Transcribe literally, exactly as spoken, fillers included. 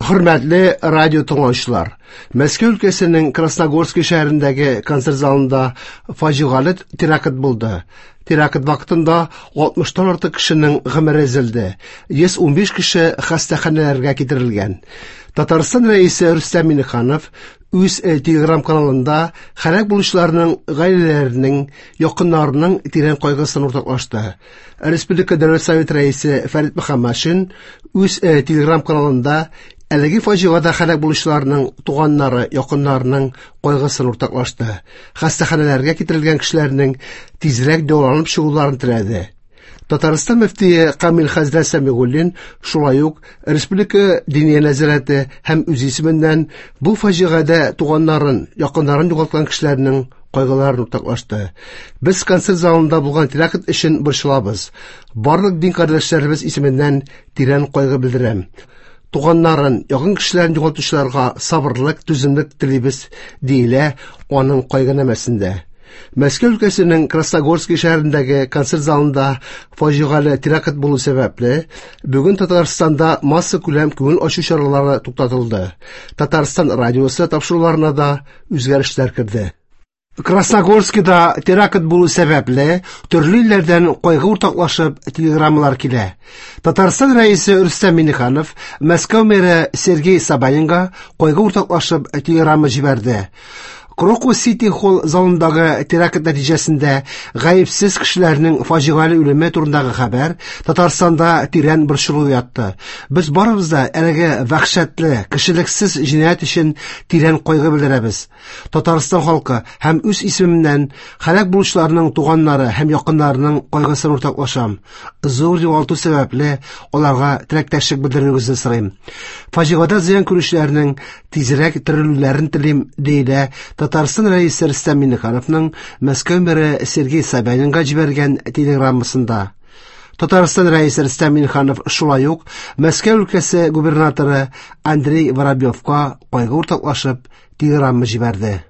Хөрмәтле радио тыңлаучылар, Мәскәү өлкәсенең Красногорский шәһәрендәге концерт залында фаҗигале теракт булды. Теракт вакытында алтмыштан артык кешенең гомере өзелде. йөз унбиш кеше хастаханәләргә китерелгән. Татарстан рәисе Рөстәм Миңнеханов үз телеграм-каналында һәлак булучыларның гаиләләренең, якыннарының тирән кайгысын уртаклашты. Республика Дәүләт Советы рәисе Фәрит Мөхәммәтшин үз телеграм-каналында әлеге фаҗигада һәлак булучыларның туганнары, якыннарының кайгысын уртаклашты. Хастаханәләргә китерелгән кешеләрнең тизрәк дәваланып чыгуларын теләде. Татарстан мөфтие Камил хәзрәт Сәмигуллин шулай ук Республика Диния нәзарәте һәм үз исеменнән бу фаҗигадә туганнарын, якыннарын югалткан кешеләрнең кайгыларын уртаклашты. Без концерт залында булган теракт өчен борчылабыз. Барлык дин кардәшләребез исеменнән тирән кайгы белдерәм. Туганнарын, якын кешеләрен югалтучыларга сабырлык, түземлек телибез, диелә аның кайгынамәсендә. Мәскәү өлкәсенең Красногорский шәһәрендәге концерт залында фаҗигале теракт булу сәбәпле, бүген Татарстанда массакүләм күңел ачу чаралары туктатылды. Татарстан радиосы тапшыруларына да үзгәрешләр керде. Красногорскида теракт булу сәбәпле, төрле илләрдән кайгы уртаклашып телеграммалар килә. Татарстан рәисе Рөстәм Миңнеханов Мәскәү мэры Сергей Собянинга кайгы уртаклашып телеграмма җибәрде. Крокус Сити Холл залындагы теракт нәтиҗәсендә гаепсез кешеләрнең фаҗигале үлеме турындагы хәбәр Татарстанда тирән борчылу уятты. Без барыбыз да әлеге вәхшәтле, кешелексез җинаять өчен тирән кайгы белдерәбез. Татарстан халкы һәм үз исемемнән һәлак булучыларның туганнары һәм якыннарының кайгысын уртаклашам. Зур югалту сәбәпле аларга теләктәшлек белдерүегезне сорыйм. Фаҗигадә зыян күрүчеләрнең тизрәк терелүләрен телим, диелә Татарстан рәисе Рөстәм Миңнехановның Мәскәү мэры Сергей Собянинга җибәргән телеграммасында. Татарстан рәисе Рөстәм Миңнеханов шулай ук Мәскәү өлкәсе губернаторы Андрей Воробьевка кайгы уртаклашып телеграмма җибәрде.